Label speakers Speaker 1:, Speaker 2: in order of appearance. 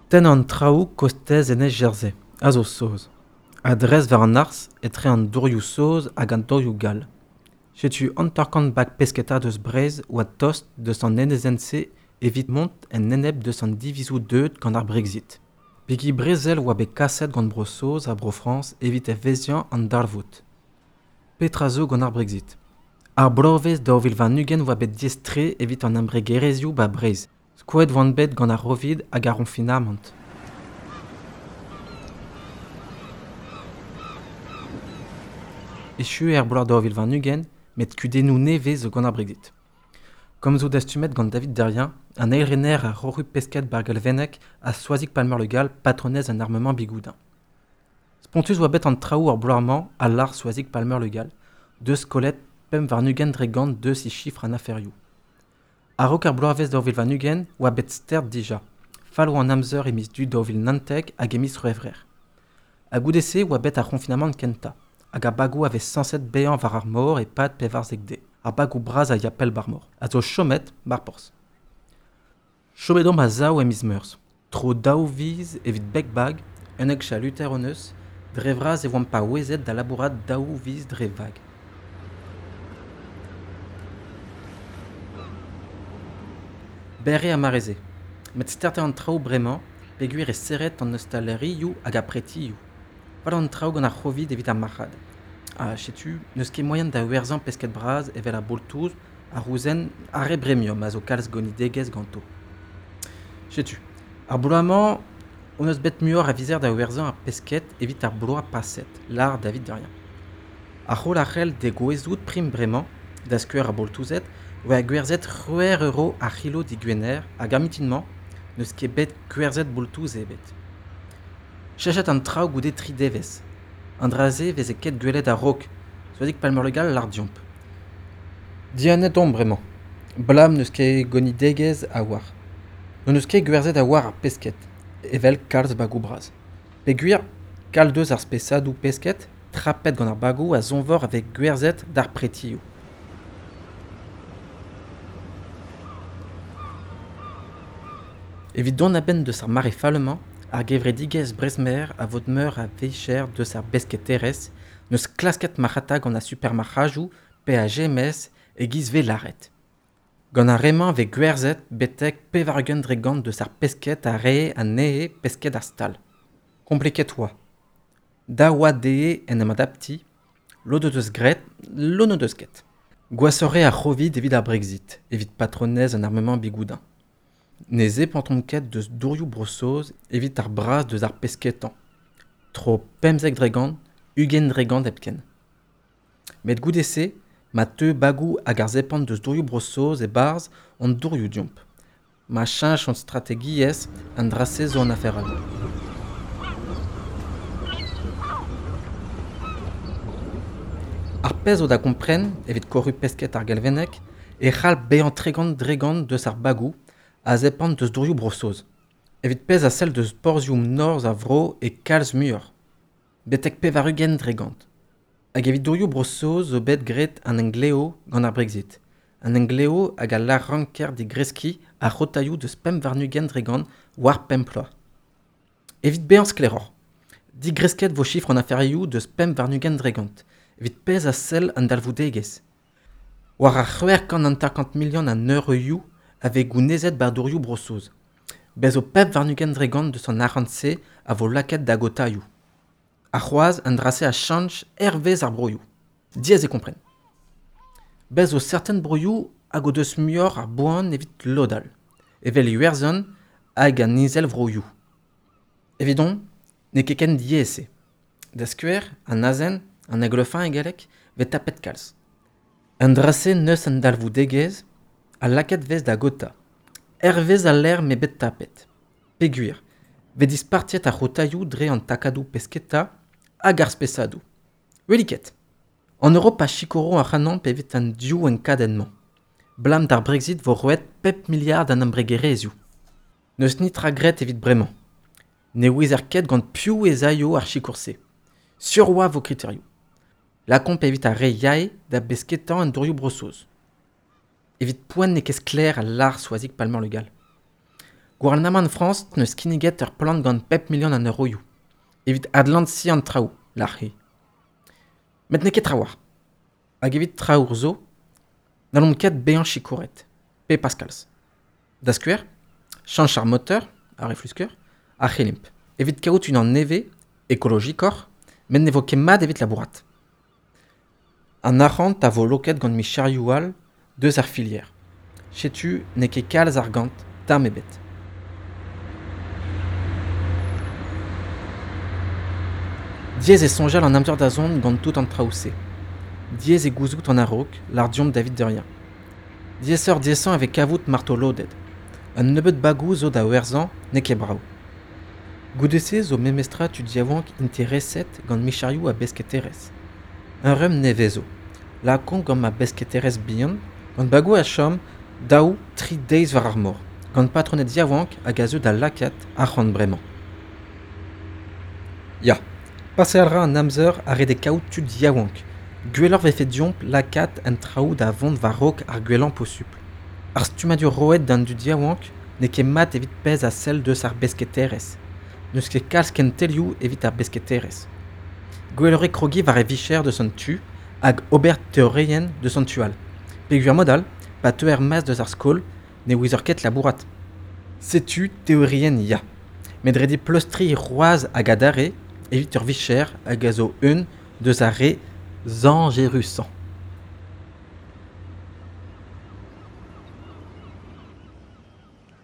Speaker 1: Tenn an traoù kostez enez Jersey, a zo saoz. A-dres war an harz etre an dourioù saoz hag an dourioù gall. Setu 50 bag pesketa deus Breizh oa tost deus an enezenn-se evit mont en enep deus an divizoù deuet gant ar Brexit. Bigi brezel oa bet kaset gant Bro-Saoz ha Bro-Frañs evit evezhiañ an darvoud. Petra zo gant ar Brexit? Ar bloavezh 2020 oa bet diaes-tre evit an embregerezhioù 'ba Breizh. Skoet oant bet gant ar C'hovid hag ar c'honfinamant. Echu eo ar bloaz 2020 met kudennoù nevez zo gant ar Brexit. Komzoù dastumet gant David Derrien, an eilrener ar Roc'hu Pesked bar Galveneg ha Soazig Palmer-Le Gall, patronez an armement Bigoudin. Spontus oa bet an traoù ar bloaz-mañ a lâr Soazig Palmer-Le Gall, deus kollet 25% deus he chifr an aferioù. A-raok ar bloavezh 2020 oa bet stert dija. Fall oa an amzer e miz Du 2019 hag e miz C'hwevrer. Ha goude-se oa bet ar c'honfinamant kentañ. Hag ar bagoù a vez sañset bezañ war ar mor e-pad 14 deiz. Ar bagoù bras a ya pell ba'r mor. A zo chomet ba'r porzh. Chomet omp a-sav e miz Meurzh. Tro daou viz evit beg bag, 11 chaluter hon eus, dre vras e oamp paouezet da labourat daou viz dre vag. Berr eo ar mare-se. Met start eo an traoù bremañ peogwir eo serret an ostalerioù hag ar pretioù. Fall an traoù gant ar C'hovid evit ar marc'had. Ha setu n'eus ket moaien da werzhañ pesked bras evel ar boltouz, ar rouzenn, ar re bremium a zo kalz gonidegezh ganto. Setu, ar bloaz-mañ hon eus bet muioc'h a vizer da werzhañ ar pesked evit ar bloaz paset, lâr David Derrien. Ar c'holl a c'hell degouezhout prim bremañ, da skouer ar boltouzed, oa gwerzhet c'hwec'h euro ar c'hilo digwener hag ar mintin-mañ n'eus ket bet gwerzhet boltouz ebet. Cheñchet an traoù goude tri devezh. An dra-se 'veze ket gwelet a-raok, Soazig Palmer-Le Gall lâr deomp. Dianet omp bremañ. Blam n'eus ket gonidegezh a-walc'h. N'hon eus ket gwerzhet a-walc'h ar pesked, evel kalz bagoù bras. Peogwir kalz deus ar spesadoù pesked trapet gant ar bagoù a zonvor a vez gwerzhet d'ar pretioù. Evit dont a-benn deus ar mare fall-mañ, ar gevredigezh Brezmer a vod meur a vicher deus ar besketerezh n'eus klasket marc'hata gant ar supermarc'hadoù pe ar GMS e-giz 'vez lâret. Gant ar re-mañ 'vez gwerzhet betek 80% deus ar pesked a rae anezhe pesked ar stal. Kompliket 'oa. Dav oa dezhe en em adaptiñ, lod o deus graet, lod n'o deus ket. Gwashoc'h eo ar C'hovid evit ar Brexit, evit patronez an armement Bigoudin. Ne zepantont ket deus dourioù Bro-Saoz evit ar braz deus ar pesketañ. Tro 15%, 20% hepken. Met goude-se, ma teu bagoù hag ar zepant deus dourioù Bro-Saoz e-barzh hon dourioù deomp. Ma cheñch hon strategiezh, an dra-se zo un afer all. Ar pezh zo da gompren evit korru pesked ar Galveneg e c'hall bezañ 30% deus ar bagoù a zepant deus dourioù Bro-Saoz. Evit pezh a sell deus porzhioù norzh ar vro e kalz muioc'h, betek 80%. Hag evit dourioù Bro-Saoz zo bet graet an emglev gant ar Brexit. An emglev hag a lâr ranker digreskiñ ar c'hotaioù deus 25% war pemp ploaz. Evit bezañ sklaeroc'h, digresket vo chifr an aferioù deus 25% evit pezh a sell an dalvoudegezh. War ar 650 milion a eurioù a vez gounezet 'ba dourioù Bro-Saoz. Bez zo 25% deus an arc'hant-se a vo lakaet da gotaioù. Ha c'hoazh an dra-se a cheñch hervez ar broioù. Diaes eo kompren. Bez zo serten broioù hag o deus muioc'h a boan evit lod all, evel Iwerzhon hag an Izelvroioù. Evidon, n'eo ket ken diaes-se. Da skouer, an azen, an aiglefin e galleg, 'vez tapet kalz. An dra-se n'eus an dalvoudegezh ha lakaet 'vez da gotañ. Hervez al lec'h m'eo bet tapet. Peogwir 'vez dispartiet ar c'hotaioù dre an takadoù pesketa hag ar spesadoù. Welit ket. An Europa a sikouro ac'hanomp evit an div enkadenn-mañ. Blam d'ar Brexit 'vo roet pep miliard d'an embregerezhioù. N'eus netra graet evit bremañ. Ne ouezer ket gant piv ez aio ar sikour-se. Sur 'oa 'vo kriterioù. Lakaomp evit ar re yae da besketañ en dourioù Bro-Saoz. Evit poent n'eo ket sklaer al lâr Soazig Palmer-Le Gall. Gouarnamant Frañs 'neus kinniget ur plan gant 5 milion an euroioù evit adlañsiñ an traoù, lâr-hi. Met n'eo ket trawalc'h. Hag evit traoù zo, n'hallomp ket bezañ sikouret, pe pas kalz. Da skouer, chañch ar moteur, ar eflusker, a c'hellimp. Evit kaout unan nevez, ekologikoc'h, met ne vo ket mat evit labourat. An arc'hant a vo loket gant micherioù all deus ar filière. Setu n'eo ket kalz argant, tamm ebet. Diaes eo soñjal an amzer da zont gant tout an traoù-se. Diaes eo gouzout an a-raok, lâr deomp David Derrien. Diaesoc'h-diaesañ e vez kavout martoloded. Un nebeud bagoù zo da werzhañ, n'eo ket brav. Goude-se zo memestra tud yaouank intereset gant micherioù a besketerezh. Un rumm nevez zo. Lakaomp gant ma besketerezh bihan, gant bagoù a chom daou, tri deiz war ar mor, gant patroned yaouank hag a zeu da lakaat arc'hant bremañ. Ya, paseal 'ra an amzer ha ret eo kaout tud yaouank. Gwelloc'h 'vefe deomp lakaat an traoù da vont war-raok ar gwellañ posupl. Ar stummadur roet d'an dud yaouank n'eo ket mat evit pezh a sell deus ar besketerezh. N'eus ket kalz kentelioù evit ar besketerezh. Gwelloc'h eo krogiñ war e vicher deus an tu hag ober teorienn deus an tu all. Peogwir mod all, pa teu er-maez deus ar skol, ne ouezor ket labourat. Setu teorienn ya. Met ret eo pleustriñ c'hoazh hag adarre evit ur vicher hag a zo un deus ar re zañjerusañ.